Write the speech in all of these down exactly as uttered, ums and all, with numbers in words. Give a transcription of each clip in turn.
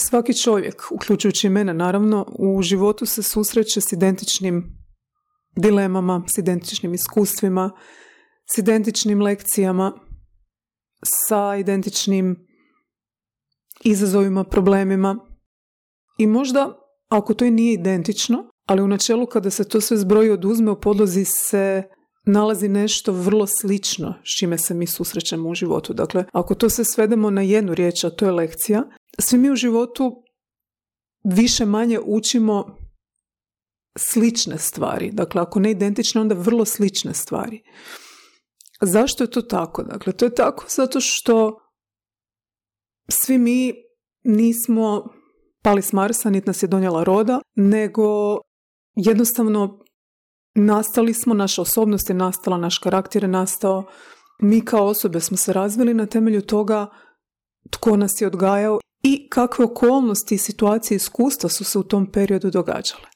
Svaki čovjek, uključujući mene naravno, u životu se susreće s identičnim dilemama, s identičnim iskustvima, s identičnim lekcijama, sa identičnim izazovima, problemima. I možda, ako to i nije identično, ali u načelu kada se to sve zbroji oduzme, u podlozi se nalazi nešto vrlo slično s čime se mi susrećemo u životu. Dakle, ako to se svedemo na jednu riječ, a to je lekcija, svi mi u životu više manje učimo slične stvari. Dakle, ako ne identične, onda vrlo slične stvari. Zašto je to tako? Dakle, to je tako zato što svi mi nismo pali s Marsa, niti nas je donijela roda, nego jednostavno nastali smo, naša osobnost je nastala, naš karakter je nastao, mi kao osobe smo se razvili na temelju toga tko nas je odgajao i kakve okolnosti, situacije, iskustva su se u tom periodu događale.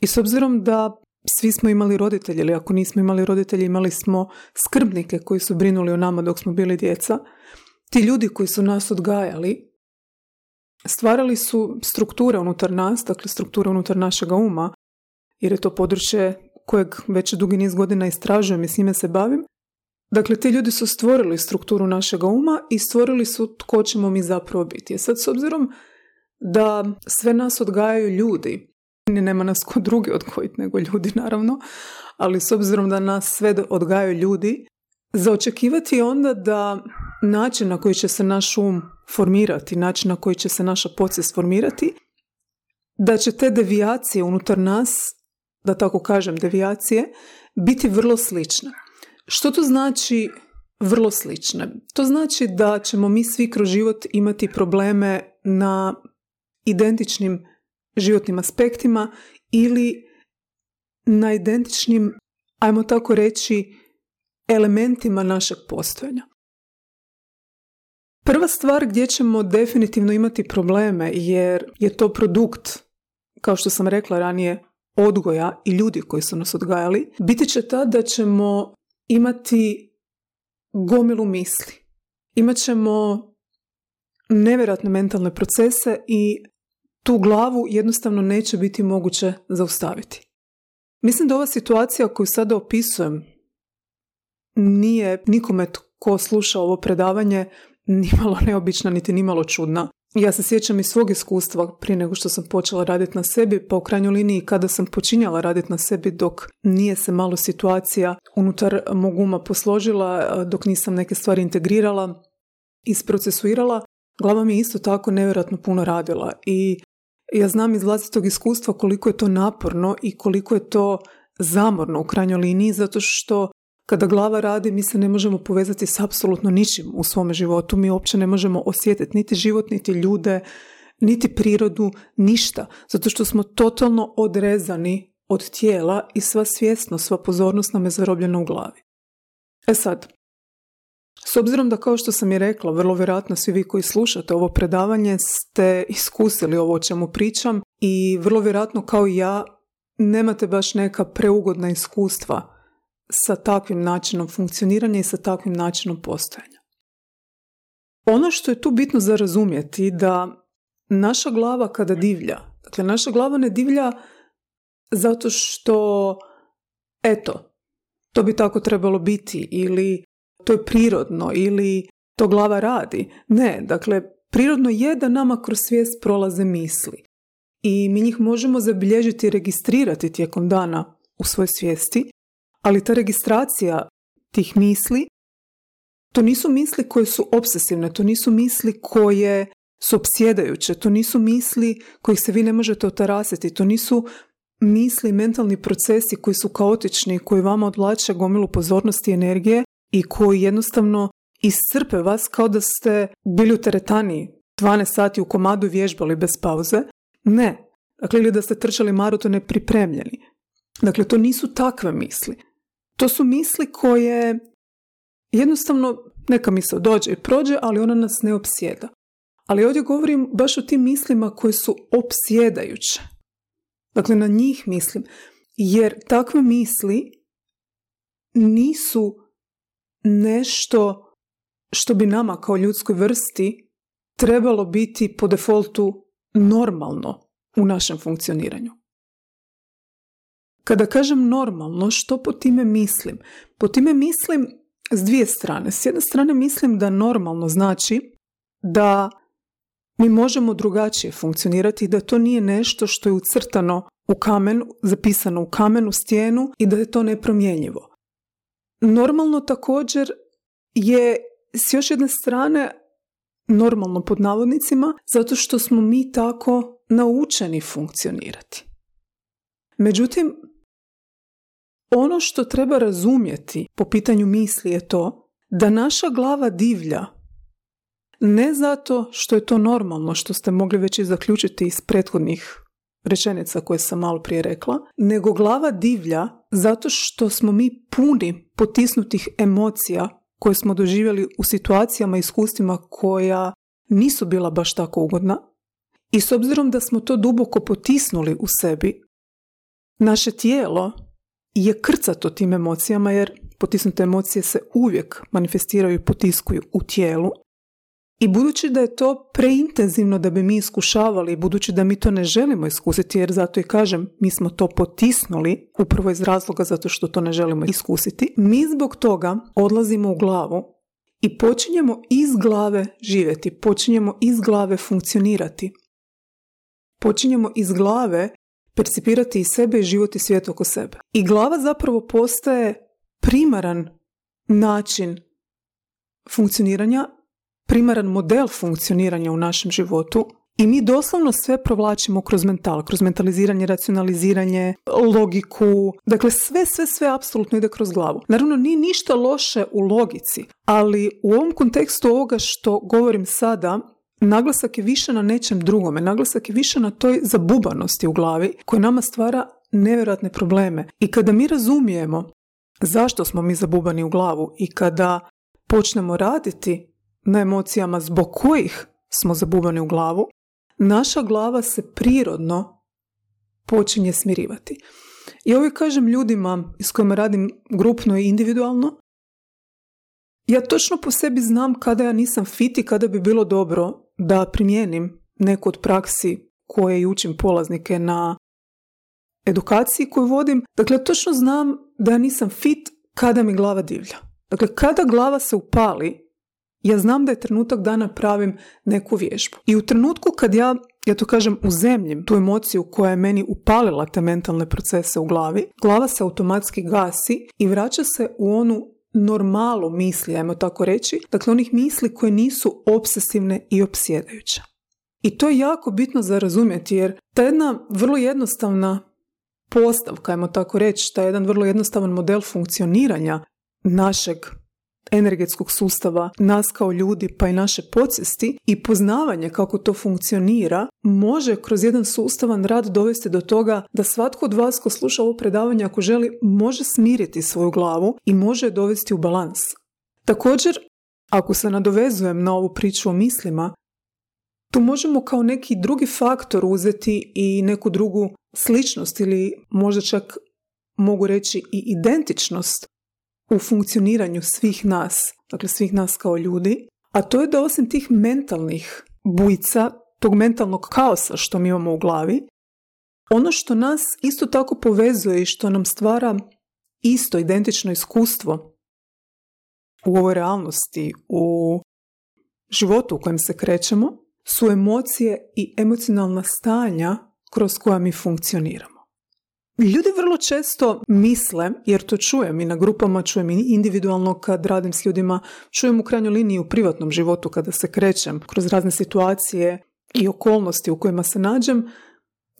I s obzirom da svi smo imali roditelje, ili ako nismo imali roditelje, imali smo skrbnike koji su brinuli o nama dok smo bili djeca, ti ljudi koji su nas odgajali stvarali su strukture unutar nas, dakle strukture unutar našega uma, jer je to područje kojeg već dugi niz godina istražujem i s njime se bavim. Dakle, ti ljudi su stvorili strukturu našega uma i stvorili su tko ćemo mi zapravo biti. I sad, s obzirom da sve nas odgajaju ljudi, nema nas ko drugi odgojiti nego ljudi naravno, ali s obzirom da nas sve odgajaju ljudi, za očekivati je onda da način na koji će se naš um formirati, način na koji će se naša podsvijest formirati, da će te devijacije unutar nas, da tako kažem devijacije, biti vrlo slične. Što to znači vrlo slične? To znači da ćemo mi svi kroz život imati probleme na identičnim životnim aspektima ili na identičnim, ajmo tako reći, elementima našeg postojanja. Prva stvar gdje ćemo definitivno imati probleme, jer je to produkt, kao što sam rekla ranije, odgoja i ljudi koji su nas odgajali, biti će ta da ćemo imati gomilu misli. Imat ćemo nevjerojatne mentalne procese i tu glavu jednostavno neće biti moguće zaustaviti. Mislim da ova situacija koju sada opisujem nije nikome tko sluša ovo predavanje nimalo neobična niti nimalo čudna. Ja se sjećam iz svog iskustva prije nego što sam počela raditi na sebi, pa u krajnjoj liniji kada sam počinjala raditi na sebi dok nije se malo situacija unutar mog uma posložila, dok nisam neke stvari integrirala, isprocesuirala, glava mi je isto tako nevjerojatno puno radila i ja znam iz vlastitog iskustva koliko je to naporno i koliko je to zamorno u krajnjoj liniji, zato što kada glava radi, mi se ne možemo povezati s apsolutno ničim u svome životu. Mi uopće ne možemo osjetiti niti život, niti ljude, niti prirodu, ništa. Zato što smo totalno odrezani od tijela i sva svjesnost, sva pozornost nam je zarobljena u glavi. E sad, s obzirom da, kao što sam i rekla, vrlo vjerojatno svi vi koji slušate ovo predavanje ste iskusili ovo o čemu pričam i vrlo vjerojatno kao i ja nemate baš neka preugodna iskustva sa takvim načinom funkcioniranja i sa takvim načinom postojanja. Ono što je tu bitno za razumjeti da naša glava kada divlja, dakle naša glava ne divlja zato što eto, to bi tako trebalo biti ili to je prirodno ili to glava radi. Ne, dakle prirodno je da nama kroz svijest prolaze misli i mi njih možemo zabilježiti i registrirati tijekom dana u svojoj svijesti. Ali ta registracija tih misli, to nisu misli koje su obsesivne, to nisu misli koje su opsjedajuće, to nisu misli kojih se vi ne možete otarasiti, to nisu misli, mentalni procesi koji su kaotični, koji vama odvlače gomilu pozornosti i energije i koji jednostavno iscrpe vas kao da ste bili u teretani dvanaest sati u komadu vježbali bez pauze. Ne, dakle ili da ste trčali maraton nepripremljeni. Dakle, to nisu takve misli. To su misli koje jednostavno neka misao dođe i prođe, ali ona nas ne opsjeda. Ali ovdje govorim baš o tim mislima koje su opsjedajuće. Dakle, na njih mislim. Jer takve misli nisu nešto što bi nama kao ljudskoj vrsti trebalo biti po defaultu normalno u našem funkcioniranju. Kada kažem normalno, što po time mislim? Po time mislim s dvije strane. S jedne strane mislim da normalno znači da mi možemo drugačije funkcionirati i da to nije nešto što je ucrtano u kamenu, zapisano u kamenu, stijenu i da je to nepromjenjivo. Normalno također je s još jedne strane normalno pod navodnicima zato što smo mi tako naučeni funkcionirati. Međutim, ono što treba razumjeti po pitanju misli je to da naša glava divlja ne zato što je to normalno, što ste mogli već i zaključiti iz prethodnih rečenica koje sam malo prije rekla, nego glava divlja zato što smo mi puni potisnutih emocija koje smo doživjeli u situacijama i iskustvima koja nisu bila baš tako ugodna i s obzirom da smo to duboko potisnuli u sebi, naše tijelo je krcato tim emocijama jer potisnute emocije se uvijek manifestiraju i potiskuju u tijelu. I budući da je to preintenzivno da bi mi iskušavali, budući da mi to ne želimo iskusiti, jer zato i kažem, mi smo to potisnuli upravo iz razloga zato što to ne želimo iskusiti, mi zbog toga odlazimo u glavu i počinjemo iz glave živjeti, počinjemo iz glave funkcionirati. Počinjemo iz glave percipirati i sebe i život i svijet oko sebe. I glava zapravo postaje primaran način funkcioniranja, primaran model funkcioniranja u našem životu i mi doslovno sve provlačimo kroz mental, kroz mentaliziranje, racionaliziranje, logiku, dakle sve, sve, sve apsolutno ide kroz glavu. Naravno, nije ništa loše u logici, ali u ovom kontekstu ovoga što govorim sada, naglasak je više na nečem drugome, naglasak je više na toj zabubanosti u glavi koja nama stvara nevjerojatne probleme. I kada mi razumijemo zašto smo mi zabubani u glavu i kada počnemo raditi na emocijama zbog kojih smo zabubani u glavu, naša glava se prirodno počinje smirivati. I ovo kažem ljudima s kojima radim grupno i individualno, ja točno po sebi znam kada ja nisam fit i kada bi bilo dobro da primijenim neku od praksi koje i učim polaznike na edukaciji koju vodim. Dakle, točno znam da ja nisam fit kada mi glava divlja. Dakle, kada glava se upali, ja znam da je trenutak da napravim neku vježbu. I u trenutku kad ja, ja to kažem, uzemljim tu emociju koja je meni upalila te mentalne procese u glavi, glava se automatski gasi i vraća se u onu normalu misli, ajmo tako reći, dakle onih misli koje nisu obsesivne i opsjedajuće. I to je jako bitno za razumjeti, jer ta jedna vrlo jednostavna postavka, ajmo tako reći, taj jedan vrlo jednostavan model funkcioniranja našeg energetskog sustava, nas kao ljudi pa i naše podsvijesti i poznavanje kako to funkcionira može kroz jedan sustavan rad dovesti do toga da svatko od vas ko sluša ovo predavanje ako želi može smiriti svoju glavu i može dovesti u balans. Također, ako se nadovezujem na ovu priču o mislima, tu možemo kao neki drugi faktor uzeti i neku drugu sličnost ili možda čak mogu reći i identičnost u funkcioniranju svih nas, dakle svih nas kao ljudi, a to je da osim tih mentalnih bujica, tog mentalnog kaosa što mi imamo u glavi, ono što nas isto tako povezuje i što nam stvara isto identično iskustvo u ovoj realnosti, u životu u kojem se krećemo, su emocije i emocionalna stanja kroz koja mi funkcioniramo. Ljudi vrlo često misle, jer to čujem i na grupama, čujem i individualno kad radim s ljudima, čujem u krajnjoj liniji u privatnom životu kada se krećem kroz razne situacije i okolnosti u kojima se nađem.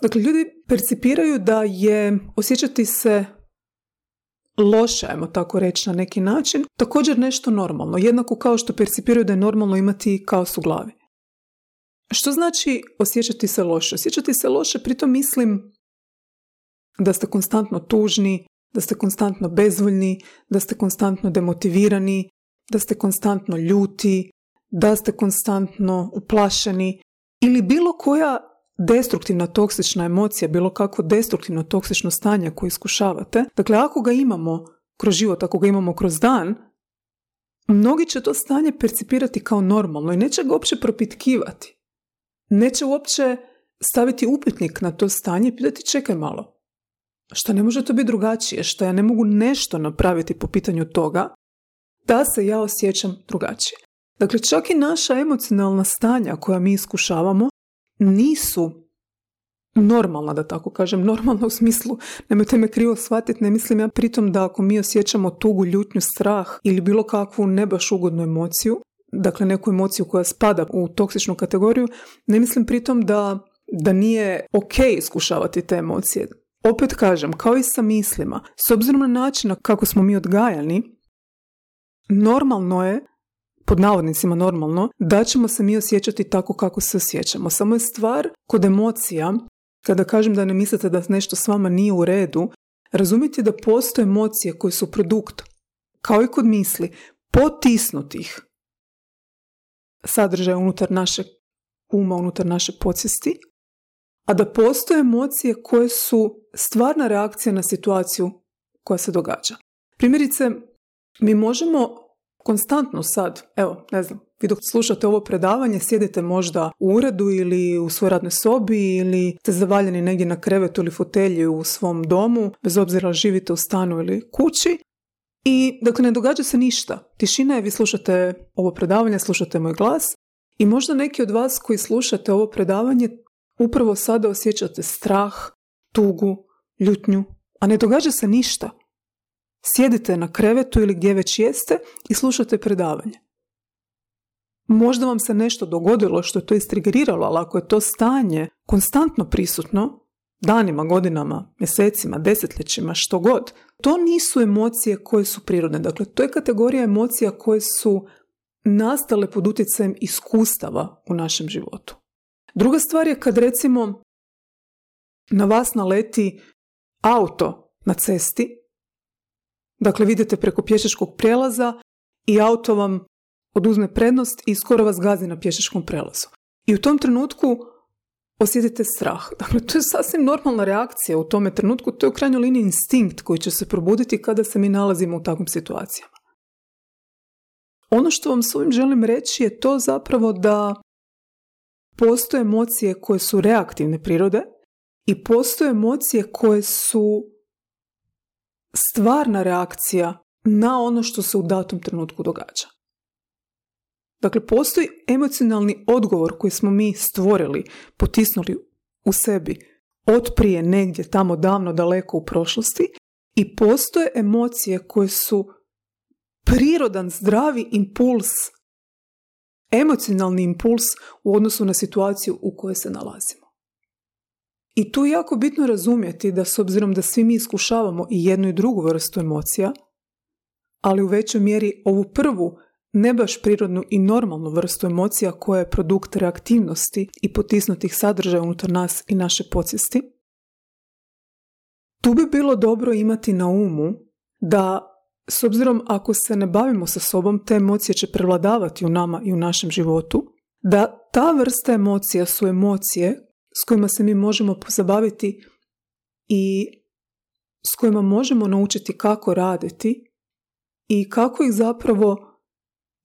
Dakle, ljudi percipiraju da je osjećati se loše, ajmo tako reći na neki način, također nešto normalno, jednako kao što percipiraju da je normalno imati kaos u glavi. Što znači osjećati se loše? Osjećati se loše, pritom mislim da ste konstantno tužni, da ste konstantno bezvoljni, da ste konstantno demotivirani, da ste konstantno ljuti, da ste konstantno uplašeni ili bilo koja destruktivna toksična emocija, bilo kako destruktivno toksično stanje koje iskušavate. Dakle, ako ga imamo kroz život, ako ga imamo kroz dan, mnogi će to stanje percipirati kao normalno i neće ga uopće propitkivati. Neće uopće staviti upitnik na to stanje i pitati čekaj malo. Što ne može to biti drugačije? Što ja ne mogu nešto napraviti po pitanju toga da se ja osjećam drugačije? Dakle, čak i naša emocionalna stanja koja mi iskušavamo nisu normalna, da tako kažem. Normalna u smislu, nemojte me krivo shvatiti, ne mislim ja pritom da ako mi osjećamo tugu, ljutnju, strah ili bilo kakvu ne baš ugodnu emociju, dakle neku emociju koja spada u toksičnu kategoriju, ne mislim pritom da, da nije ok iskušavati te emocije. Opet kažem, kao i sa mislima, s obzirom na način kako smo mi odgajani, normalno je, pod navodnicima normalno, da ćemo se mi osjećati tako kako se osjećamo. Samo je stvar kod emocija, kada kažem da ne mislite da nešto s vama nije u redu, razumijete da postoje emocije koje su produkt, kao i kod misli, potisnutih sadržaja unutar našeg uma, unutar naše podsvijesti, a da postoje emocije koje su stvarna reakcija na situaciju koja se događa. Primjerice, mi možemo konstantno sad, evo, ne znam, vi dok slušate ovo predavanje, sjedite možda u uredu ili u svojoj radnoj sobi ili ste zavaljeni negdje na krevetu ili fotelji u svom domu, bez obzira živite u stanu ili kući, i dakle ne događa se ništa. Tišina je, vi slušate ovo predavanje, slušate moj glas i možda neki od vas koji slušate ovo predavanje upravo sada osjećate strah, tugu, ljutnju, a ne događa se ništa. Sjedite na krevetu ili gdje već jeste i slušate predavanje. Možda vam se nešto dogodilo što je to istrigiralo, ali ako je to stanje konstantno prisutno, danima, godinama, mjesecima, desetljećima, što god, to nisu emocije koje su prirodne. Dakle, to je kategorija emocija koje su nastale pod utjecajem iskustava u našem životu. Druga stvar je kad recimo na vas naleti auto na cesti, dakle vidite preko pješačkog prijelaza i auto vam oduzme prednost i skoro vas gazi na pješačkom prijelazu. I u tom trenutku osjetite strah. Dakle, to je sasvim normalna reakcija u tome trenutku, to je u krajnjoj liniji instinkt koji će se probuditi kada se mi nalazimo u takvim situacijama. Ono što vam s ovim želim reći je to zapravo da postoje emocije koje su reaktivne prirode i postoje emocije koje su stvarna reakcija na ono što se u datom trenutku događa. Dakle, postoji emocionalni odgovor koji smo mi stvorili, potisnuli u sebi od prije negdje tamo davno daleko u prošlosti i postoje emocije koje su prirodan zdravi impuls, emocionalni impuls u odnosu na situaciju u kojoj se nalazimo. I tu je jako bitno razumjeti da s obzirom da svi mi iskušavamo i jednu i drugu vrstu emocija, ali u većoj mjeri ovu prvu ne baš prirodnu i normalnu vrstu emocija koja je produkt reaktivnosti i potisnutih sadržaja unutar nas i naše podsvijesti, tu bi bilo dobro imati na umu da s obzirom ako se ne bavimo sa sobom, te emocije će prevladavati u nama i u našem životu, da ta vrsta emocija su emocije s kojima se mi možemo pozabaviti i s kojima možemo naučiti kako raditi i kako ih zapravo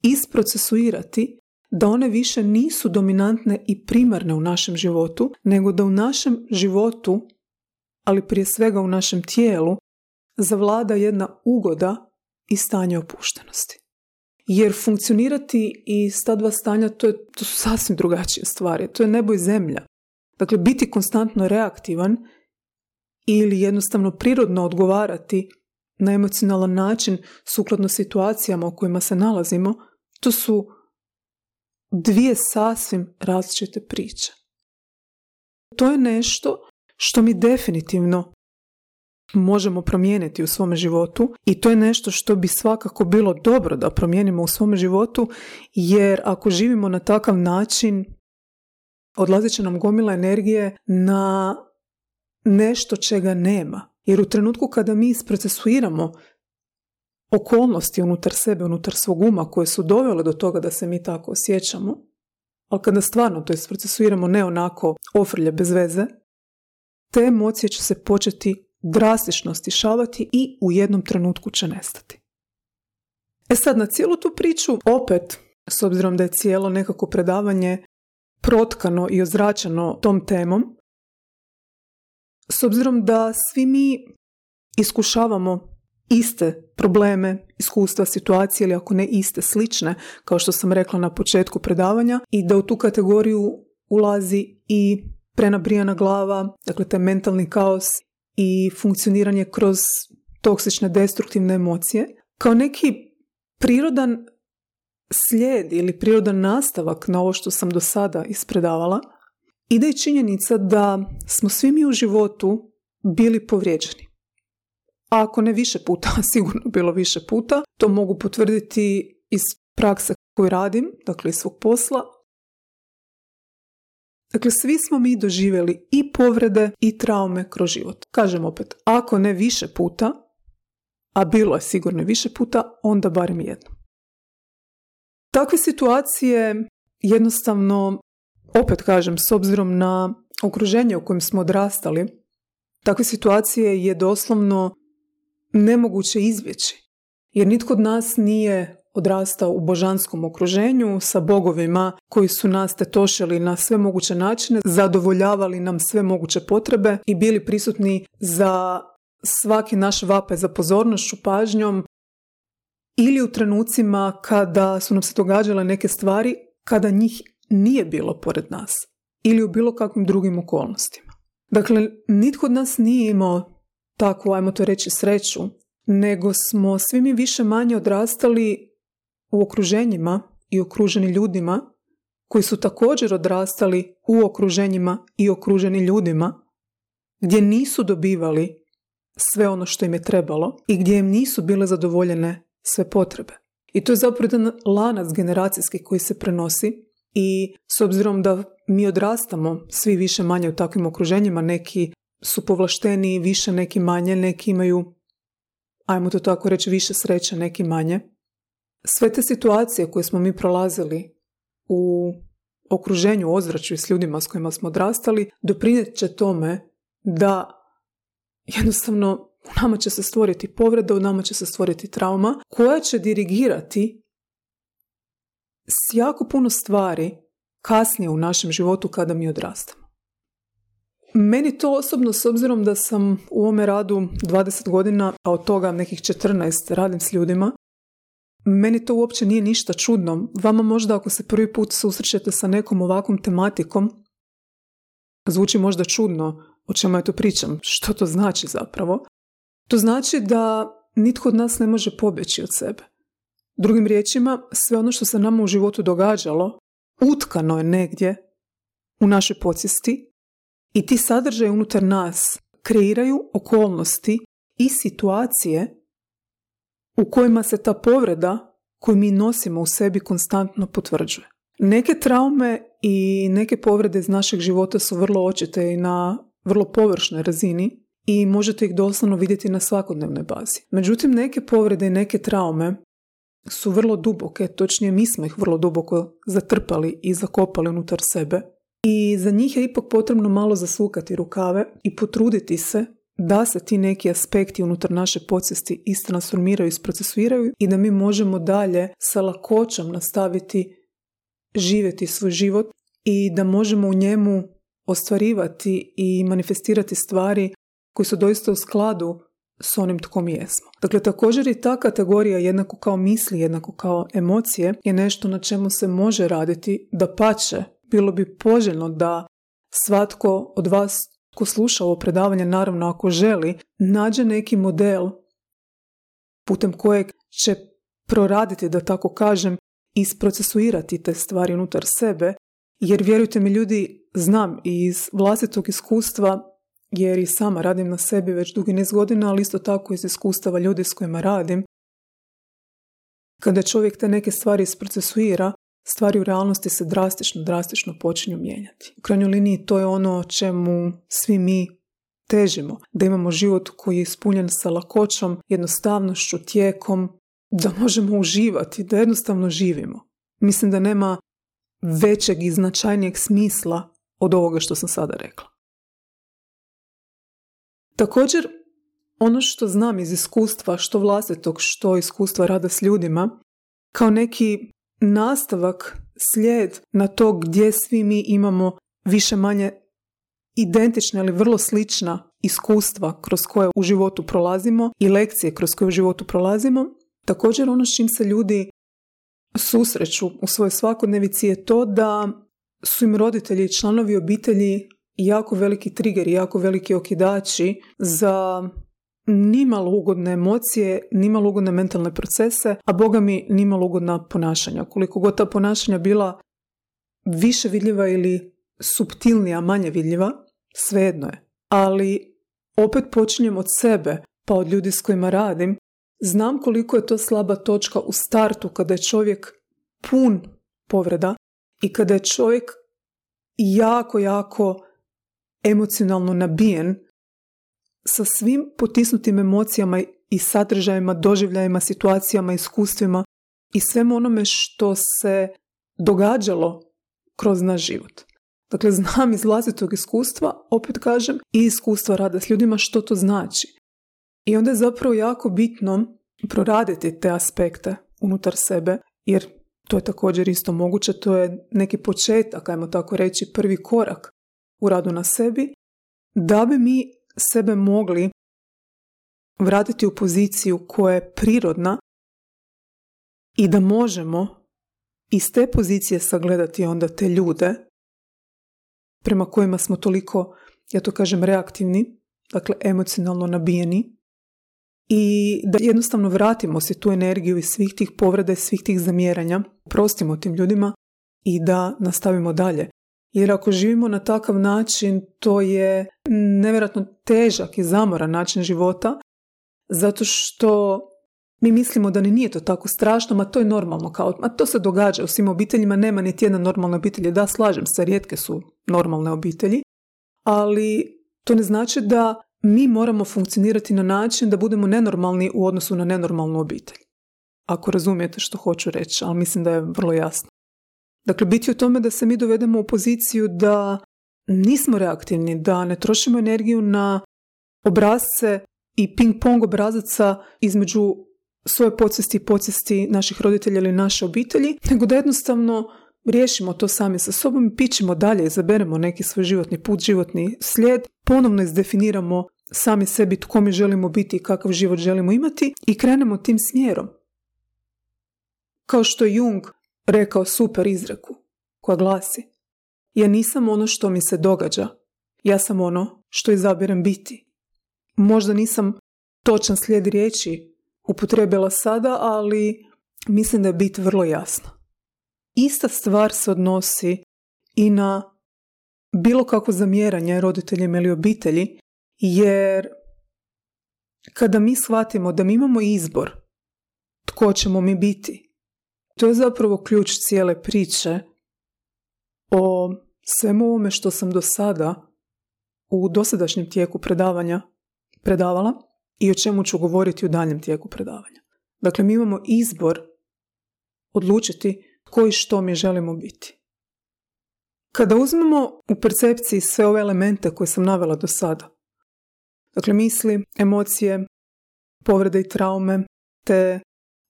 isprocesuirati da one više nisu dominantne i primarne u našem životu, nego da u našem životu, ali prije svega u našem tijelu, zavlada jedna ugoda i stanje opuštenosti. Jer funkcionirati iz ta dva stanja, to, je, to su sasvim drugačije stvari. To je nebo i zemlja. Dakle, biti konstantno reaktivan ili jednostavno prirodno odgovarati na emocionalan način sukladno situacijama u kojima se nalazimo, to su dvije sasvim različite priče. To je nešto što mi definitivno možemo promijeniti u svome životu i to je nešto što bi svakako bilo dobro da promijenimo u svome životu, jer ako živimo na takav način, odlazit će nam gomila energije na nešto čega nema. Jer u trenutku kada mi isprocesuiramo okolnosti unutar sebe, unutar svog uma koje su dovele do toga da se mi tako osjećamo, ali kada stvarno to isprocesuiramo ne onako ofrlje bez veze, te emocije će se početi drastično stišavati i u jednom trenutku će nestati. E sad, na cijelu tu priču, opet, s obzirom da je cijelo nekako predavanje protkano i ozračeno tom temom, s obzirom da svi mi iskušavamo iste probleme, iskustva, situacije ili ako ne iste, slične, kao što sam rekla na početku predavanja, i da u tu kategoriju ulazi i prenabrijana glava, dakle taj mentalni kaos i funkcioniranje kroz toksične, destruktivne emocije, kao neki prirodan slijed ili prirodan nastavak na ovo što sam do sada ispredavala, ide i činjenica da smo svi mi u životu bili povrijeđeni. A ako ne više puta, sigurno bilo više puta, to mogu potvrditi iz prakse koju radim, dakle iz svog posla. Dakle, svi smo mi doživjeli i povrede i traume kroz život. Kažem opet, ako ne više puta, a bilo je sigurno više puta, onda barem jedno. Takve situacije jednostavno, opet kažem, s obzirom na okruženje u kojem smo odrastali, takve situacije je doslovno nemoguće izbjeći. Jer nitko od nas nije odrastao u božanskom okruženju sa bogovima koji su nas tetošili na sve moguće načine, zadovoljavali nam sve moguće potrebe i bili prisutni za svaki naš vapaj za pozornošću, pažnjom, ili u trenucima kada su nam se događale neke stvari kada njih nije bilo pored nas ili u bilo kakvim drugim okolnostima. Dakle, nitko od nas nije imao takvu, ajmo to reći, sreću, nego smo svi mi više manje odrastali u okruženjima i okruženi ljudima koji su također odrastali u okruženjima i okruženi ljudima gdje nisu dobivali sve ono što im je trebalo i gdje im nisu bile zadovoljene sve potrebe. I to je zapravo jedan lanac generacijski koji se prenosi i s obzirom da mi odrastamo svi više manje u takvim okruženjima, neki su povlašteniji više, neki manje, neki imaju, ajmo to tako reći, više sreće, neki manje. Sve te situacije koje smo mi prolazili u okruženju, ozračju i s ljudima s kojima smo odrastali, doprinijet će tome da jednostavno u nama će se stvoriti povreda, u nama će se stvoriti trauma koja će dirigirati s jako puno stvari kasnije u našem životu kada mi odrastamo. Meni to osobno, s obzirom da sam u ovome radu dvadeset godina, a od toga nekih četrnaest radim s ljudima, meni to uopće nije ništa čudno. Vama možda ako se prvi put susrećete sa nekom ovakvom tematikom, zvuči možda čudno o čemu ja to pričam. Što to znači zapravo? To znači da nitko od nas ne može pobjeći od sebe. Drugim riječima, sve ono što se nama u životu događalo, utkano je negdje u našoj podsvijesti i ti sadržaji unutar nas kreiraju okolnosti i situacije u kojima se ta povreda koju mi nosimo u sebi konstantno potvrđuje. Neke traume i neke povrede iz našeg života su vrlo očite i na vrlo površnoj razini i možete ih doslovno vidjeti na svakodnevnoj bazi. Međutim, neke povrede i neke traume su vrlo duboke, točnije mi smo ih vrlo duboko zatrpali i zakopali unutar sebe i za njih je ipak potrebno malo zasukati rukave i potruditi se da se ti neki aspekti unutar naše podsvijesti istransformiraju i isprocesuiraju i da mi možemo dalje sa lakoćom nastaviti živjeti svoj život i da možemo u njemu ostvarivati i manifestirati stvari koji su doista u skladu s onim tko mi jesmo. Dakle, također i ta kategorija, jednako kao misli, jednako kao emocije, je nešto na čemu se može raditi. Dapače, bilo bi poželjno da svatko od vas ko sluša ovo predavanje, naravno ako želi, nađe neki model putem kojeg će proraditi, da tako kažem, isprocesuirati te stvari unutar sebe, jer vjerujte mi ljudi, znam iz vlastitog iskustva, jer i sama radim na sebi već dugi niz godina, ali isto tako iz iskustava ljudi s kojima radim, kada čovjek te neke stvari isprocesuira, stvari u realnosti se drastično, drastično počinju mijenjati. U krajnjoj liniji to je ono čemu svi mi težimo, da imamo život koji je ispunjen sa lakoćom, jednostavnošću, tijekom, da možemo uživati, da jednostavno živimo. Mislim da nema većeg i značajnijeg smisla od ovoga što sam sada rekla. Također, ono što znam iz iskustva, što vlastitog, što iskustva rada s ljudima, kao neki nastavak slijed na to gdje svi mi imamo više manje identična ili vrlo slična iskustva kroz koje u životu prolazimo i lekcije kroz koje u životu prolazimo. Također ono s čim se ljudi susreću u svojoj svakodnevici je to da su im roditelji i članovi obitelji jako veliki trigeri, jako veliki okidači za nimalo ugodne emocije, nimalo ugodne mentalne procese, a boga mi nimalo ugodna ponašanja. Koliko god ta ponašanja bila više vidljiva ili suptilnija, manje vidljiva, svejedno je. Ali opet počinjem od sebe, pa od ljudi s kojima radim. Znam koliko je to slaba točka u startu kada je čovjek pun povreda i kada je čovjek jako, jako emocionalno nabijen sa svim potisnutim emocijama i sadržajima, doživljajima, situacijama, iskustvima i svemu onome što se događalo kroz naš život. Dakle, znam iz vlastitog iskustva, opet kažem, i iskustva rada s ljudima što to znači. I onda je zapravo jako bitno proraditi te aspekte unutar sebe, jer to je također isto moguće, to je neki početak, ajmo tako reći, prvi korak u radu na sebi, da bi mi sebe mogli vratiti u poziciju koja je prirodna i da možemo iz te pozicije sagledati onda te ljude prema kojima smo toliko, ja to kažem, reaktivni, dakle emocionalno nabijeni, i da jednostavno vratimo si tu energiju iz svih tih povreda i svih tih zamjeranja, prostimo tim ljudima i da nastavimo dalje. Jer ako živimo na takav način, to je nevjerojatno težak i zamoran način života, zato što mi mislimo da ni nije to tako strašno, ma to je normalno, kao, ma to se događa u svim obiteljima, nema niti jedna normalna obitelj. Da, slažem se, rijetke su normalne obitelji, ali to ne znači da mi moramo funkcionirati na način da budemo nenormalni u odnosu na nenormalnu obitelj. Ako razumijete što hoću reći, ali mislim da je vrlo jasno. Dakle, biti u tome da se mi dovedemo u poziciju da nismo reaktivni, da ne trošimo energiju na obrazce i ping-pong obrazaca između svoje podsvijesti i podsvijesti naših roditelja ili naše obitelji, nego da jednostavno riješimo to sami sa sobom i pićemo dalje, izaberemo neki svoj životni put, životni slijed, ponovno izdefiniramo sami sebi tko mi želimo biti i kakav život želimo imati i krenemo tim smjerom. Kao što je Jung rekao super izreku koja glasi: ja nisam ono što mi se događa, ja sam ono što izaberem biti. Možda nisam točan slijed riječi upotrijebila sada, ali mislim da je bit vrlo jasna. Ista stvar se odnosi i na bilo kakvo zamjeranje roditeljima ili obitelji, jer kada mi shvatimo da mi imamo izbor tko ćemo mi biti, to je zapravo ključ cijele priče o svemu ovome što sam do sada u dosadašnjem tijeku predavanja predavala i o čemu ću govoriti u daljem tijeku predavanja. Dakle, mi imamo izbor odlučiti tko i što mi želimo biti. Kada uzmemo u percepciji sve ove elemente koje sam navela do sada, dakle misli, emocije, povrede i traume, te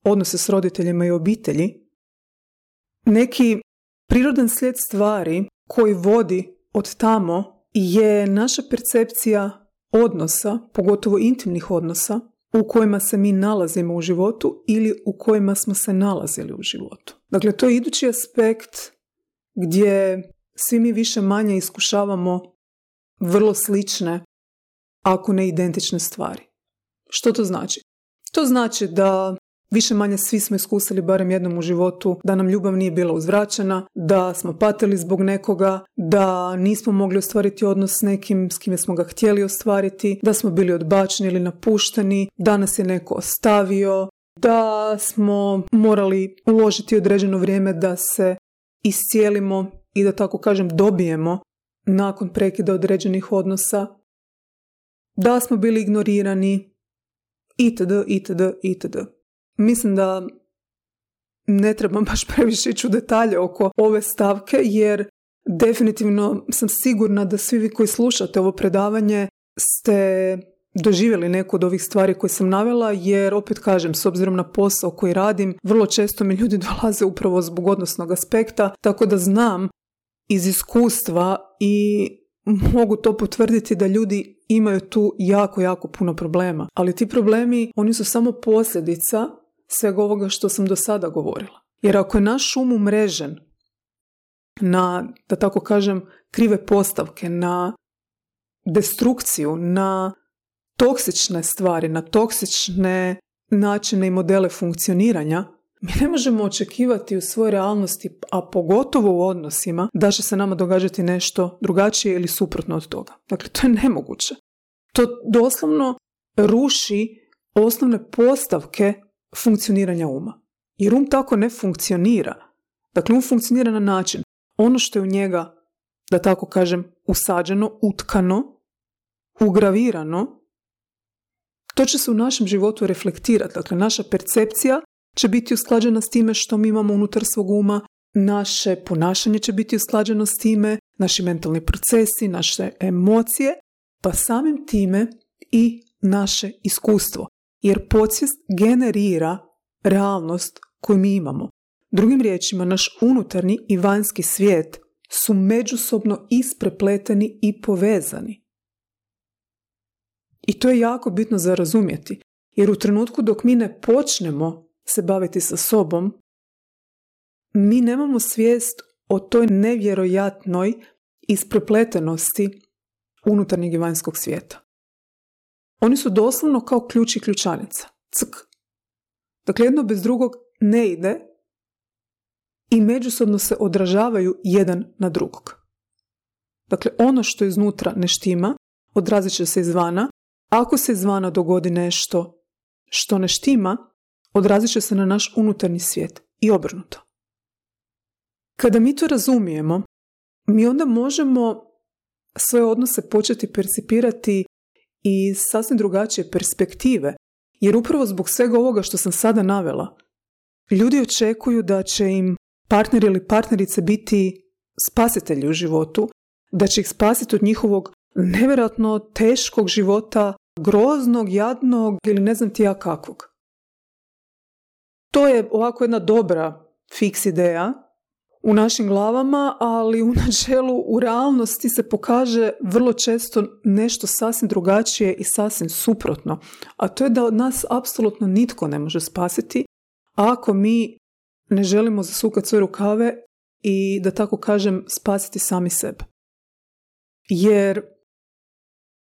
odnose s roditeljima i obitelji, neki prirodan slijed stvari koji vodi od tamo je naša percepcija odnosa, pogotovo intimnih odnosa, u kojima se mi nalazimo u životu ili u kojima smo se nalazili u životu. Dakle, to je idući aspekt gdje svi mi više manje iskušavamo vrlo slične, ako ne identične stvari. Što to znači? To znači da više manje svi smo iskusili barem jednom u životu da nam ljubav nije bila uzvraćena, da smo patili zbog nekoga, da nismo mogli ostvariti odnos s nekim s kime smo ga htjeli ostvariti, da smo bili odbačeni ili napušteni, da nas je neko ostavio, da smo morali uložiti određeno vrijeme da se iscijelimo i da tako kažem dobijemo nakon prekida određenih odnosa, da smo bili ignorirani, itd., itd., itd. Mislim da ne trebam baš previše ići u detalje oko ove stavke, jer definitivno sam sigurna da svi vi koji slušate ovo predavanje ste doživjeli neku od ovih stvari koje sam navela, jer opet kažem, s obzirom na posao koji radim, vrlo često mi ljudi dolaze upravo zbog odnosnog aspekta, tako da znam iz iskustva i mogu to potvrditi da ljudi imaju tu jako, jako puno problema. Ali ti problemi, oni su samo posljedica svega ovoga što sam do sada govorila. Jer ako je naš um umrežen na, da tako kažem, krive postavke, na destrukciju, na toksične stvari, na toksične načine i modele funkcioniranja, mi ne možemo očekivati u svojoj realnosti, a pogotovo u odnosima, da će se nama događati nešto drugačije ili suprotno od toga. Dakle, to je nemoguće. To doslovno ruši osnovne postavke funkcioniranja uma. Jer um tako ne funkcionira. Dakle, um funkcionira na način, ono što je u njega, da tako kažem, usađeno, utkano, ugravirano, to će se u našem životu reflektirati. Dakle, naša percepcija će biti usklađena s time što mi imamo unutar svog uma, naše ponašanje će biti usklađeno s time, naši mentalni procesi, naše emocije, pa samim time i naše iskustvo. Jer podsvijest generira realnost koju mi imamo. Drugim riječima, naš unutarnji i vanjski svijet su međusobno isprepleteni i povezani. I to je jako bitno za razumjeti, jer u trenutku dok mi ne počnemo se baviti sa sobom, mi nemamo svijest o toj nevjerojatnoj isprepletenosti unutarnjeg i vanjskog svijeta. Oni su doslovno kao ključ i ključanica. Ck. Dakle, jedno bez drugog ne ide i međusobno se odražavaju jedan na drugog. Dakle, ono što iznutra ne štima, odrazit će se izvana. Ako se izvana dogodi nešto što ne štima, odrazit će se na naš unutarnji svijet i obrnuto. Kada mi to razumijemo, mi onda možemo svoje odnose početi percipirati iz sasvim drugačije perspektive, jer upravo zbog svega ovoga što sam sada navela, ljudi očekuju da će im partner ili partnerice biti spasitelji u životu, da će ih spasiti od njihovog nevjerojatno teškog života, groznog, jadnog ili ne znam ti ja kakvog. To je ovako jedna dobra fiks ideja u našim glavama, ali u načelu, u realnosti se pokaže vrlo često nešto sasvim drugačije i sasvim suprotno. A to je da od nas apsolutno nitko ne može spasiti ako mi ne želimo zasukati svoje rukave i, da tako kažem, spasiti sami sebe. Jer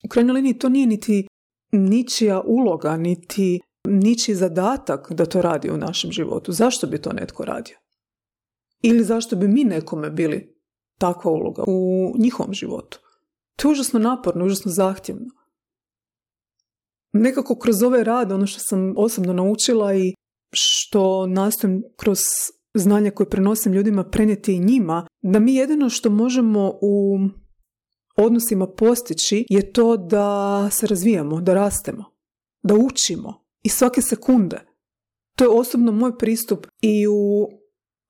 u krajnjoj liniji to nije niti ničija uloga, niti ničiji zadatak da to radi u našem životu. Zašto bi to netko radio? Ili zašto bi mi nekome bili takva uloga u njihovom životu? To je užasno naporno, užasno zahtjevno. Nekako kroz ovaj rad, ono što sam osobno naučila i što nastojim kroz znanje koje prenosim ljudima prenijeti i njima, da mi jedino što možemo u odnosima postići je to da se razvijamo, da rastemo, da učimo i svake sekunde. To je osobno moj pristup i u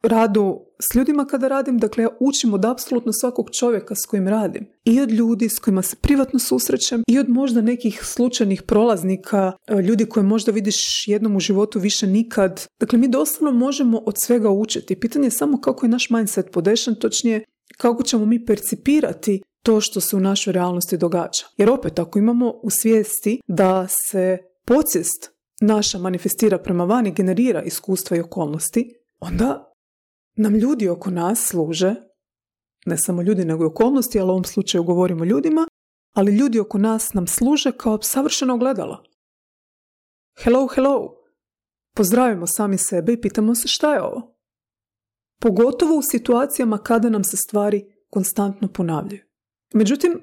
radu s ljudima kada radim, dakle ja učim od apsolutno svakog čovjeka s kojim radim. I od ljudi s kojima se privatno susrećem i od možda nekih slučajnih prolaznika, ljudi koje možda vidiš jednom u životu više nikad. Dakle, mi doslovno možemo od svega učiti. Pitanje je samo kako je naš mindset podešen, točnije kako ćemo mi percipirati to što se u našoj realnosti događa. Jer opet, ako imamo u svijesti da se podsvijest naša manifestira prema vani, generira iskustva i okolnosti, onda nam ljudi oko nas služe, ne samo ljudi nego i okolnosti, ali u ovom slučaju govorimo o ljudima, ali ljudi oko nas nam služe kao savršeno ogledalo. Hello, hello. Pozdravimo sami sebe i pitamo se šta je ovo. Pogotovo u situacijama kada nam se stvari konstantno ponavljaju. Međutim,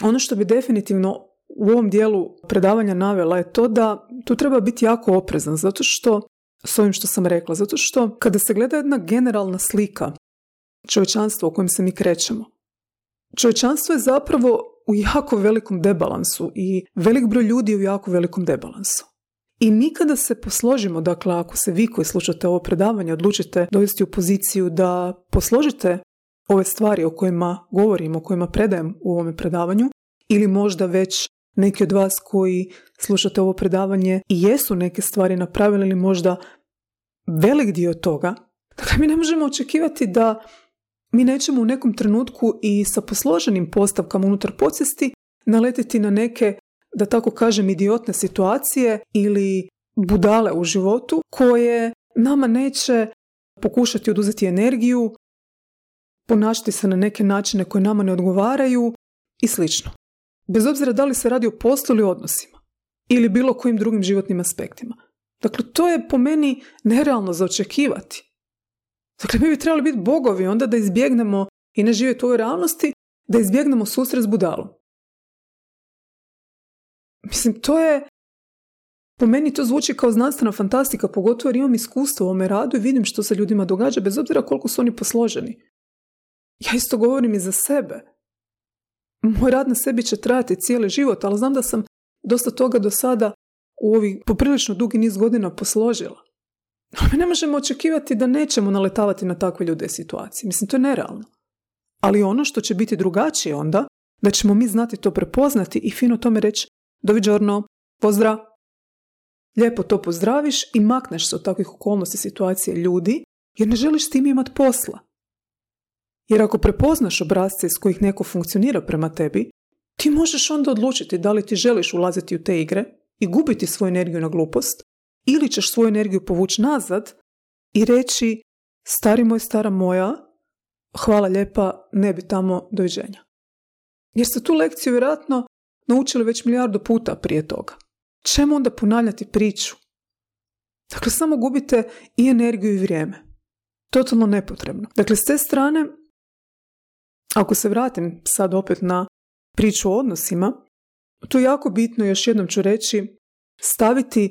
ono što bi definitivno u ovom dijelu predavanja navela je to da tu treba biti jako oprezan, zato što, s ovim što sam rekla, zato što kada se gleda jedna generalna slika čovječanstva u kojem se mi krećemo, čovječanstvo je zapravo u jako velikom debalansu i velik broj ljudi je u jako velikom debalansu. I nikada se posložimo, dakle ako se vi koji slušate ovo predavanje odlučite dovesti u poziciju da posložite ove stvari o kojima govorim, o kojima predajem u ovome predavanju, ili možda već neki od vas koji slušate ovo predavanje i jesu neke stvari napravili ili možda velik dio toga. Dakle, mi ne možemo očekivati da mi nećemo u nekom trenutku i sa posloženim postavkama unutar podsvijesti naletiti na neke, da tako kažem, idiotne situacije ili budale u životu koje nama neće pokušati oduzeti energiju, ponašati se na neke načine koje nama ne odgovaraju i slično. Bez obzira da li se radi o poslu ili odnosima ili bilo kojim drugim životnim aspektima. Dakle, to je po meni nerealno za očekivati. Dakle, mi bi trebali biti bogovi onda da izbjegnemo i ne živjeti u ovoj realnosti, da izbjegnemo susret s budalom. Mislim, to je, po meni to zvuči kao znanstvena fantastika, pogotovo jer imam iskustvo u ovome radu i vidim što se ljudima događa, bez obzira koliko su oni posloženi. Ja isto govorim i za sebe. Moj rad na sebi će trajati cijeli život, ali znam da sam dosta toga do sada u ovih poprilično dugi niz godina posložila. Ali mi ne možemo očekivati da nećemo naletavati na takve ljude i situacije. Mislim, to je nerealno. Ali ono što će biti drugačije onda, da ćemo mi znati to prepoznati i fino tome reći doviđorno, pozdrav. Lijepo to pozdraviš i makneš se od takvih okolnosti, situacije, ljudi, jer ne želiš s tim imati posla. Jer ako prepoznaš obrasce iz kojih neko funkcionira prema tebi, ti možeš onda odlučiti da li ti želiš ulaziti u te igre i gubiti svoju energiju na glupost, ili ćeš svoju energiju povući nazad i reći stari moj, stara moja, hvala lijepa, ne bi tamo, doviđenja. Jer ste tu lekciju vjerojatno naučili već milijardu puta prije toga. Čemu onda ponavljati priču? Dakle, samo gubite i energiju i vrijeme. Totalno nepotrebno. Dakle, s te strane, ako se vratim sad opet na priču o odnosima, tu je jako bitno, još jednom ću reći, staviti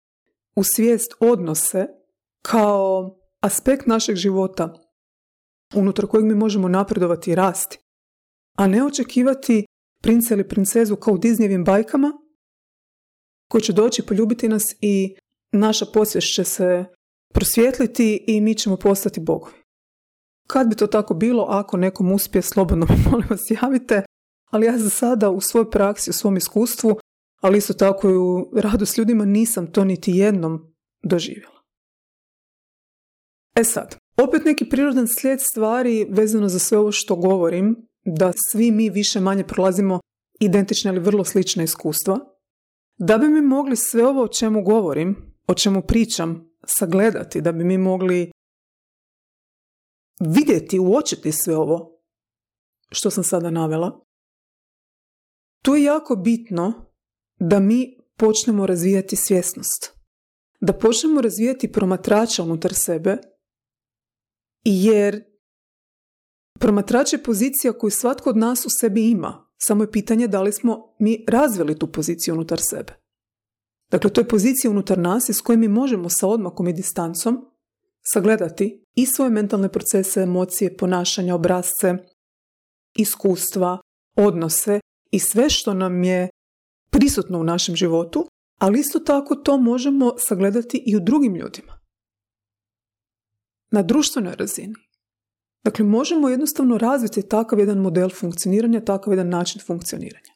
u svijest odnose kao aspekt našeg života unutar kojeg mi možemo napredovati i rasti, a ne očekivati princa ili princezu kao u Disneyevim bajkama koji će doći poljubiti nas i naša podsvijest će se prosvijetliti i mi ćemo postati bogovi. Kad bi to tako bilo, ako nekom uspije, slobodno mi molim vas javite, ali ja za sada u svojoj praksi, u svom iskustvu, ali isto tako i u radu s ljudima nisam to niti jednom doživjela. E sad, opet neki prirodan slijed stvari vezano za sve ovo što govorim, da svi mi više manje prolazimo identične ili vrlo slične iskustva, da bi mi mogli sve ovo o čemu govorim, o čemu pričam, sagledati, da bi mi mogli vidjeti, uočiti sve ovo što sam sada navela, tu je jako bitno da mi počnemo razvijati svjesnost. Da počnemo razvijati promatrača unutar sebe, jer promatrač je pozicija koju svatko od nas u sebi ima. Samo je pitanje da li smo mi razvili tu poziciju unutar sebe. Dakle, to je pozicija unutar nas iz koje mi možemo sa odmakom i distancom sagledati i svoje mentalne procese, emocije, ponašanja, obrasce, iskustva, odnose i sve što nam je prisutno u našem životu, ali isto tako to možemo sagledati i u drugim ljudima. Na društvenoj razini. Dakle, možemo jednostavno razviti takav jedan model funkcioniranja, takav jedan način funkcioniranja.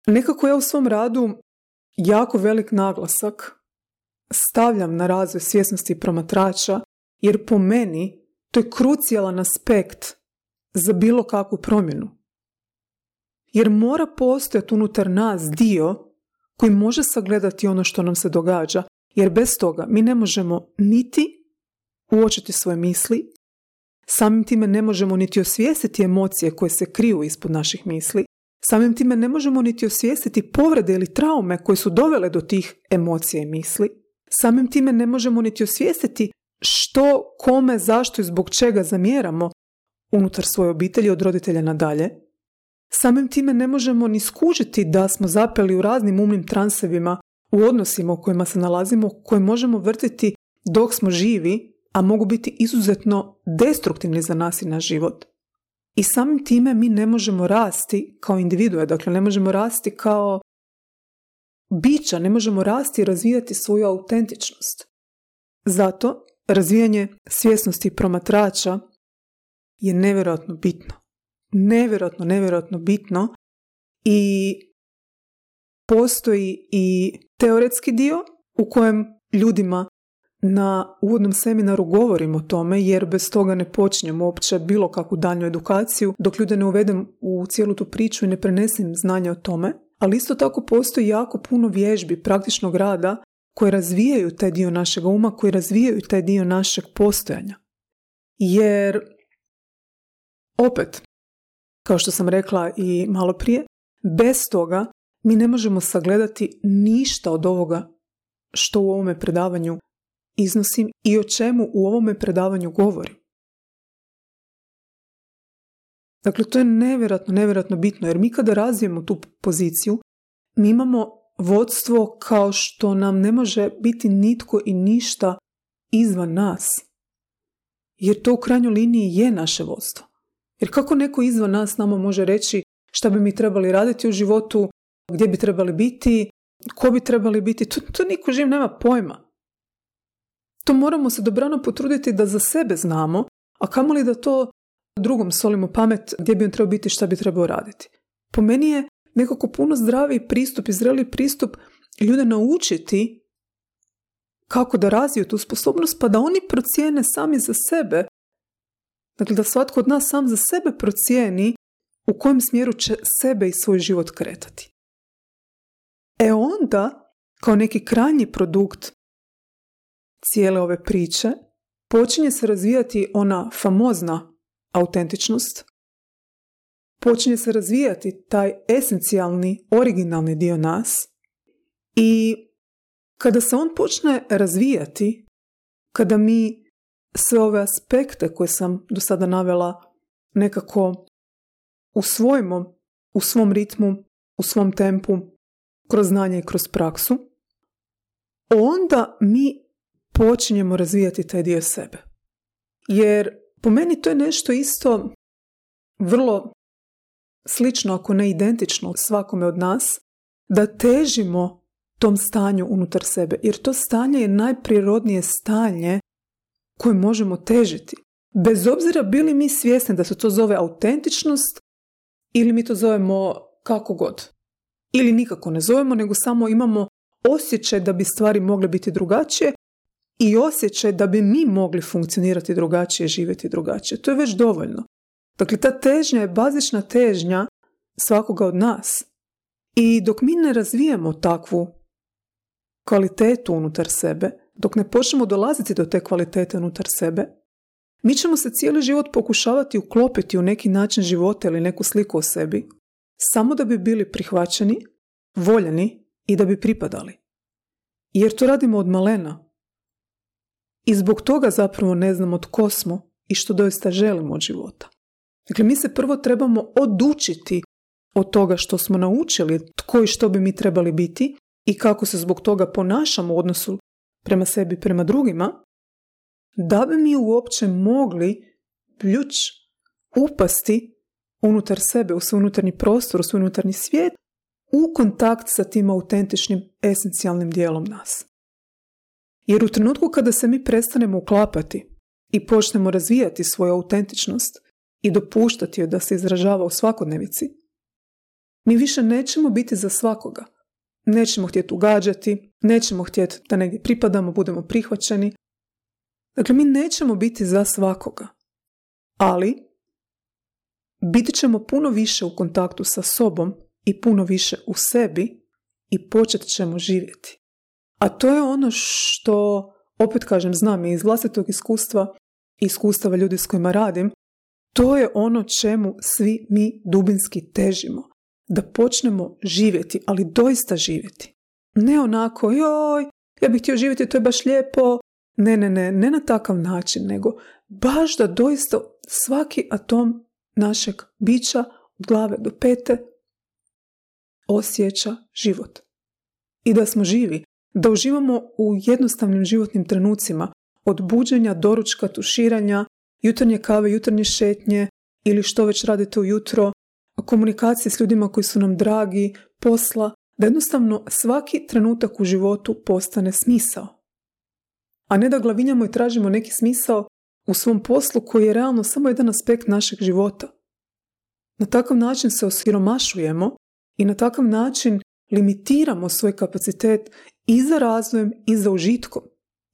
Nekako ja u svom radu jako velik naglasak stavljam na razvoj svjesnosti promatrača, jer po meni to je krucijalan aspekt za bilo kakvu promjenu. Jer mora postojati unutar nas dio koji može sagledati ono što nam se događa, jer bez toga mi ne možemo niti uočiti svoje misli, samim time ne možemo niti osvijestiti emocije koje se kriju ispod naših misli, samim time ne možemo niti osvijestiti povrede ili traume koje su dovele do tih emocija i misli, samim time ne možemo niti osvijestiti što, kome, zašto i zbog čega zamjeramo unutar svoje obitelji od roditelja nadalje. Samim time ne možemo ni skužiti da smo zapeli u raznim umnim transevima u odnosima u kojima se nalazimo, koje možemo vrtiti dok smo živi, a mogu biti izuzetno destruktivni za nas i naš život. I samim time mi ne možemo rasti kao individue, dakle ne možemo rasti kao bića, ne možemo rasti i razvijati svoju autentičnost. Zato razvijanje svjesnosti promatrača je nevjerojatno bitno. Nevjerojatno, nevjerojatno bitno i postoji i teoretski dio u kojem ljudima na uvodnom seminaru govorim o tome, jer bez toga ne počinjem uopće bilo kakvu daljnju edukaciju, dok ljude ne uvedem u cijelu tu priču i ne prenesem znanje o tome. Ali isto tako postoji jako puno vježbi, praktičnog rada, koje razvijaju taj dio našeg uma, koji razvijaju taj dio našeg postojanja. Jer, opet, kao što sam rekla i malo prije, bez toga mi ne možemo sagledati ništa od ovoga što u ovome predavanju iznosim i o čemu u ovome predavanju govorim. Dakle, to je nevjerojatno, nevjerojatno bitno, jer mi kada razvijemo tu poziciju, mi imamo vodstvo kao što nam ne može biti nitko i ništa izvan nas. Jer to u krajnjoj liniji je naše vodstvo. Jer kako neko izvan nas nama može reći šta bi mi trebali raditi u životu, gdje bi trebali biti, ko bi trebali biti, to, to niko živ nema pojma. To moramo se dobrano potruditi da za sebe znamo, a kamoli da to drugom solimo pamet gdje bi on trebao biti, šta bi trebao raditi. Po meni je nekako puno zdraviji pristup i zreliji pristup ljude naučiti kako da razviju tu sposobnost, pa da oni procijene sami za sebe. Dakle, da svatko od nas sam za sebe procijeni u kojem smjeru će sebe i svoj život kretati. E onda, kao neki krajnji produkt cijele ove priče, počinje se razvijati ona famozna autentičnost, počinje se razvijati taj esencijalni, originalni dio nas i kada se on počne razvijati, kada mi sve ove aspekte koje sam do sada navela nekako usvojimo u svom ritmu, u svom tempu, kroz znanje i kroz praksu, onda mi počinjemo razvijati taj dio sebe. Jer po meni to je nešto isto vrlo slično, ako ne identično svakome od nas, da težimo tom stanju unutar sebe. Jer to stanje je najprirodnije stanje koje možemo težiti. Bez obzira bili mi svjesni da se to zove autentičnost ili mi to zovemo kako god. Ili nikako ne zovemo, nego samo imamo osjećaj da bi stvari mogle biti drugačije i osjećaj da bi mi mogli funkcionirati drugačije, živjeti drugačije. To je već dovoljno. Dakle, ta težnja je bazična težnja svakoga od nas. I dok mi ne razvijemo takvu kvalitetu unutar sebe, dok ne počnemo dolaziti do te kvalitete unutar sebe, mi ćemo se cijeli život pokušavati uklopiti u neki način života ili neku sliku o sebi, samo da bi bili prihvaćeni, voljeni i da bi pripadali. Jer to radimo od malena. I zbog toga zapravo ne znamo tko smo i što doista želimo od života. Dakle, mi se prvo trebamo odučiti od toga što smo naučili, tko i što bi mi trebali biti i kako se zbog toga ponašamo u odnosu prema sebi, prema drugima, da bi mi uopće mogli pljuč upasti unutar sebe, u svoj unutarnji prostor, u svoj unutarnji svijet, u kontakt sa tim autentičnim, esencijalnim dijelom nas. Jer u trenutku kada se mi prestanemo uklapati i počnemo razvijati svoju autentičnost i dopuštati joj da se izražava u svakodnevici, mi više nećemo biti za svakoga. Nećemo htjeti ugađati, nećemo htjeti da negdje pripadamo, budemo prihvaćeni. Dakle, mi nećemo biti za svakoga. Ali biti ćemo puno više u kontaktu sa sobom i puno više u sebi i počet ćemo živjeti. A to je ono što, opet kažem, znam i iz vlastitog iskustva i iskustava ljudi s kojima radim, to je ono čemu svi mi dubinski težimo. Da počnemo živjeti, ali doista živjeti. Ne onako, joj, ja bih htio živjeti, to je baš lijepo. Ne, ne, ne, ne na takav način, nego baš da doista svaki atom našeg bića od glave do pete osjeća život. I da smo živi, da uživamo u jednostavnim životnim trenucima, od buđenja, doručka, tuširanja, jutarnje kave, jutarnje šetnje ili što već radite ujutro, komunikacije s ljudima koji su nam dragi, posla, da jednostavno svaki trenutak u životu postane smisao. A ne da glavinjamo i tražimo neki smisao u svom poslu koji je realno samo jedan aspekt našeg života. Na takav način se osiromašujemo i na takav način limitiramo svoj kapacitet i za razvojem i za užitkom.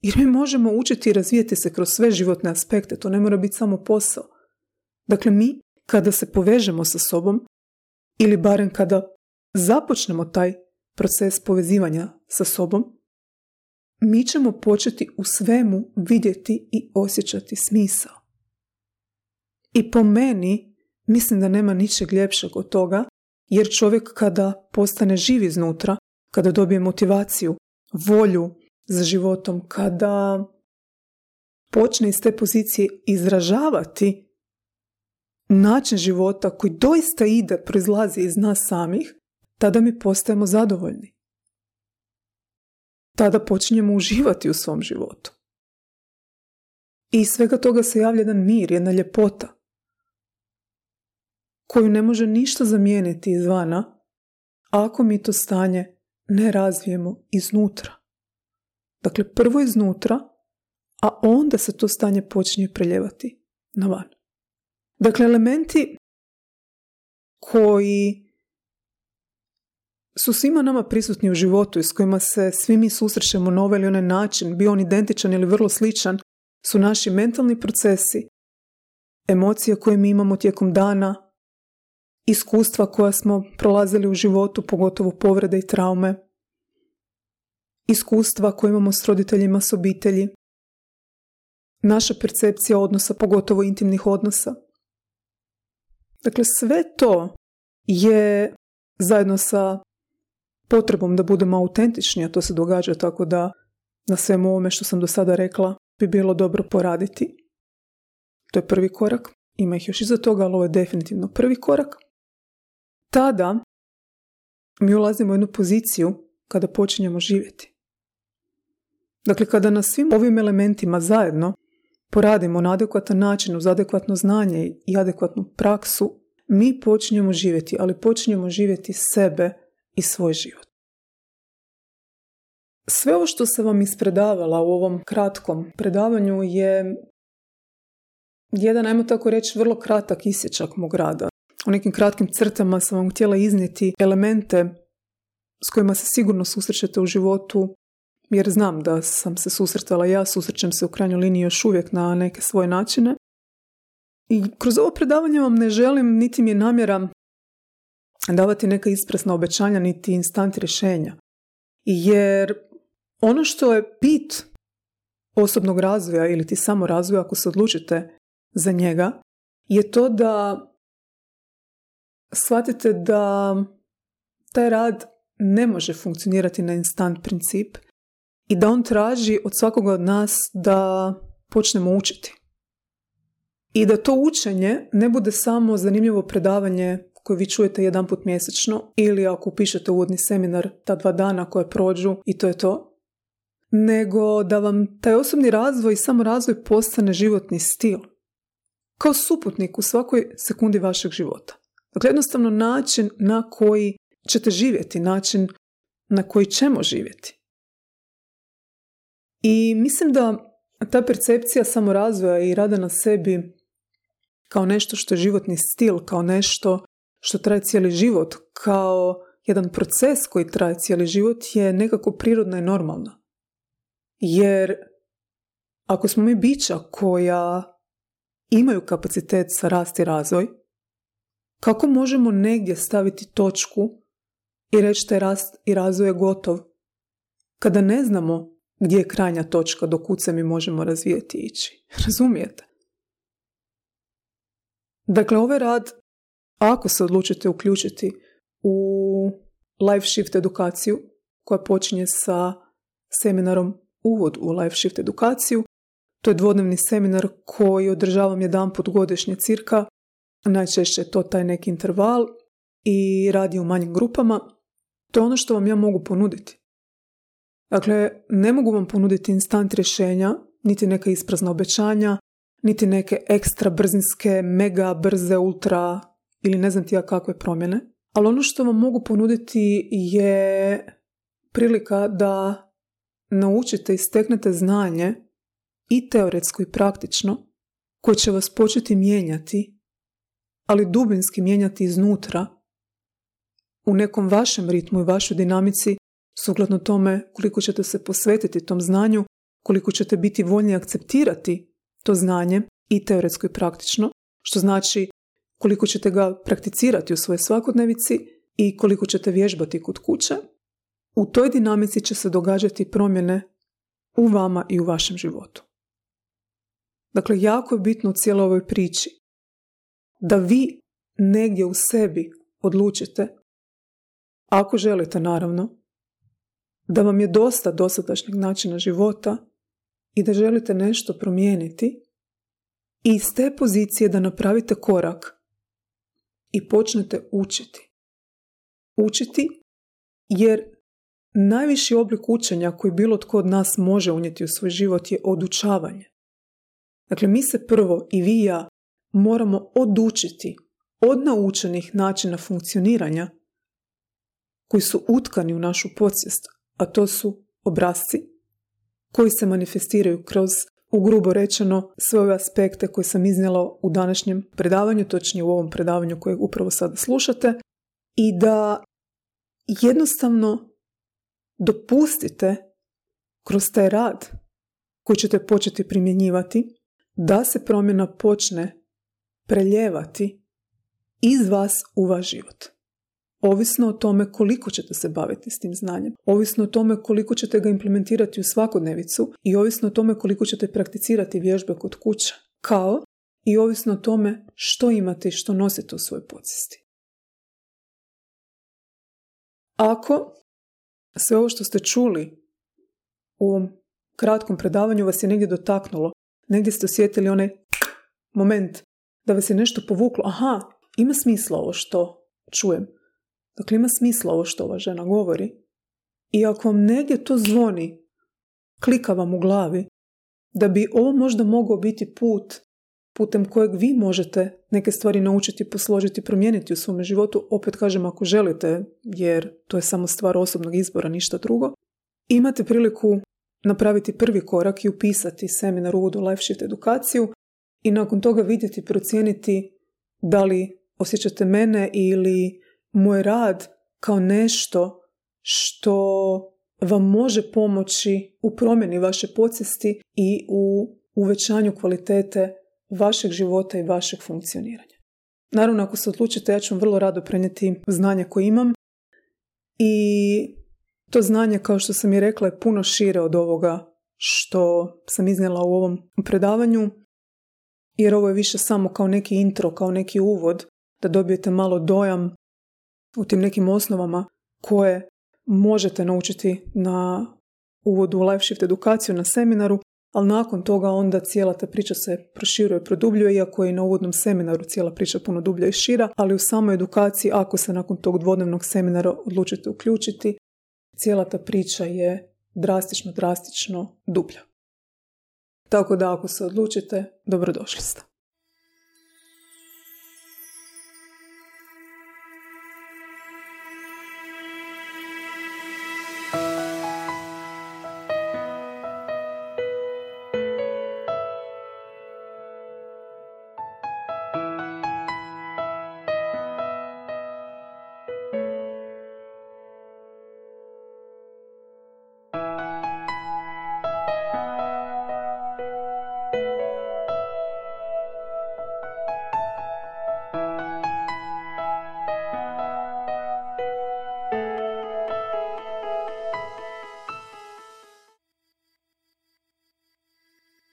Jer mi možemo učiti i razvijati se kroz sve životne aspekte, to ne mora biti samo posao. Dakle, mi kada se povežemo sa sobom, ili barem kada započnemo taj proces povezivanja sa sobom, mi ćemo početi u svemu vidjeti i osjećati smisao. I po meni, mislim da nema ničeg ljepšeg od toga, jer čovjek kada postane živ iznutra, kada dobije motivaciju, volju za životom, kada počne iz te pozicije izražavati način života koji doista ide, proizlazi iz nas samih, tada mi postajemo zadovoljni. Tada počinjemo uživati u svom životu. I iz svega toga se javlja jedan mir, jedna ljepota, koju ne može ništa zamijeniti izvana, ako mi to stanje ne razvijemo iznutra. Dakle, prvo iznutra, a onda se to stanje počinje preljevati na van. Dakle, elementi koji su svima nama prisutni u životu i s kojima se svi mi susrećemo na ovaj ili onaj način, bio on identičan ili vrlo sličan, su naši mentalni procesi, emocije koje mi imamo tijekom dana, iskustva koja smo prolazili u životu, pogotovo povrede i traume, iskustva koje imamo s roditeljima, s obitelji, naša percepcija odnosa, pogotovo intimnih odnosa. Dakle, sve to je zajedno sa potrebom da budemo autentični, a to se događa tako da na svemu ovome što sam do sada rekla bi bilo dobro poraditi. To je prvi korak. Ima ih još iza toga, ali ovo je definitivno prvi korak. Tada mi ulazimo u jednu poziciju kada počinjemo živjeti. Dakle, kada na svim ovim elementima zajedno poradimo na adekvatan način, uz adekvatno znanje i adekvatnu praksu, mi počinjemo živjeti, ali počinjemo živjeti sebe i svoj život. Sve ovo što sam vam ispredavala u ovom kratkom predavanju je jedan, ajmo tako reći, vrlo kratak isječak mog rada. U nekim kratkim crtama sam vam htjela iznijeti elemente s kojima se sigurno susrećete u životu, jer znam da sam se susretala ja, susrećem se u krajnjoj liniji još uvijek na neke svoje načine. I kroz ovo predavanje vam ne želim, niti mi je namjera davati neka ispresna obećanja, niti instant rješenja. Jer ono što je bit osobnog razvoja ili ti samo razvoja, ako se odlučite za njega, je to da shvatite da taj rad ne može funkcionirati na instant princip i da on traži od svakoga od nas da počnemo učiti. I da to učenje ne bude samo zanimljivo predavanje koje vi čujete jedan put mjesečno ili ako upišete uvodni seminar ta dva dana koje prođu i to je to, nego da vam taj osobni razvoj i samo razvoj postane životni stil. Kao suputnik u svakoj sekundi vašeg života. Dakle, jednostavno način na koji ćete živjeti, način na koji ćemo živjeti. I mislim da ta percepcija samorazvoja i rada na sebi kao nešto što je životni stil, kao nešto što traje cijeli život, kao jedan proces koji traje cijeli život je nekako prirodna i normalna. Jer ako smo mi bića koja imaju kapacitet za rast i razvoj, kako možemo negdje staviti točku i reći da je rast i razvoj je gotov, kada ne znamo gdje je krajnja točka do kud se mi možemo razvijeti i ići? Razumijete? Dakle, ovaj rad, ako se odlučite uključiti u Life Shift edukaciju, koja počinje sa seminarom Uvod u Life Shift edukaciju, to je dvodnevni seminar koji održavam jedanput godišnje cirka, najčešće je to taj neki interval i radi u manjim grupama. To je ono što vam ja mogu ponuditi. Dakle, ne mogu vam ponuditi instant rješenja, niti neka isprazna obećanja, niti neke ekstra brzinske, mega brze, ultra ili ne znam ti ja kakve promjene. Ali ono što vam mogu ponuditi je prilika da naučite i steknete znanje i teoretsko i praktično koje će vas početi mijenjati, ali dubinski mijenjati iznutra u nekom vašem ritmu i vašoj dinamici, sukladno tome koliko ćete se posvetiti tom znanju, koliko ćete biti voljni akceptirati to znanje i teoretsko i praktično, što znači koliko ćete ga prakticirati u svojoj svakodnevici i koliko ćete vježbati kod kuće. U toj dinamici će se događati promjene u vama i u vašem životu. Dakle, jako je bitno u cijeloj ovoj priči da vi negdje u sebi odlučite, ako želite naravno, da vam je dosta dosadašnjeg načina života i da želite nešto promijeniti i iz te pozicije da napravite korak i počnete učiti. Učiti jer najviši oblik učenja koji bilo tko od nas može unijeti u svoj život je odučavanje. Dakle, mi se prvo i vi i ja moramo odučiti od naučenih načina funkcioniranja koji su utkani u našu podsvijest, a to su obrasci koji se manifestiraju kroz, ugrubo rečeno, sve ove aspekte koje sam iznijela u današnjem predavanju, točnije u ovom predavanju kojeg upravo sada slušate, i da jednostavno dopustite kroz taj rad koji ćete početi primjenjivati da se promjena počne preljevati iz vas u vaš život. Ovisno o tome koliko ćete se baviti s tim znanjem, ovisno o tome koliko ćete ga implementirati u svakodnevicu i ovisno o tome koliko ćete prakticirati vježbe kod kuće, kao i ovisno o tome što imate i što nosite u svojoj podsvijesti. Ako sve ovo što ste čuli u ovom kratkom predavanju vas je negdje dotaknulo, negdje ste osjetili onaj moment da vas je nešto povuklo, aha, ima smisla ovo što čujem. Dakle, ima smisla ovo što ova žena govori. I ako vam negdje to zvoni, klika vam u glavi, da bi ovo možda mogao biti put putem kojeg vi možete neke stvari naučiti, posložiti, promijeniti u svome životu, opet kažem ako želite, jer to je samo stvar osobnog izbora, ništa drugo, imate priliku napraviti prvi korak i upisati seminar Uvod u Life Shift edukaciju i nakon toga vidjeti, procijeniti da li osjećate mene ili moj rad kao nešto što vam može pomoći u promjeni vaše podsvijesti i u uvećanju kvalitete vašeg života i vašeg funkcioniranja. Naravno, ako se odlučite, ja ću vam vrlo rado prenijeti znanje koje imam i to znanje, kao što sam i rekla, je puno šire od ovoga što sam iznijela u ovom predavanju, jer ovo je više samo kao neki intro, kao neki uvod, da dobijete malo dojam u tim nekim osnovama koje možete naučiti na Uvodu u Life Shift edukaciju na seminaru, ali nakon toga onda cijela ta priča se proširuje i produbljuje, iako je i na uvodnom seminaru cijela priča puno dublja i šira, ali u samoj edukaciji, ako se nakon tog dvodnevnog seminara odlučite uključiti, cijela ta priča je drastično, drastično dublja. Tako da ako se odlučite, dobrodošli ste.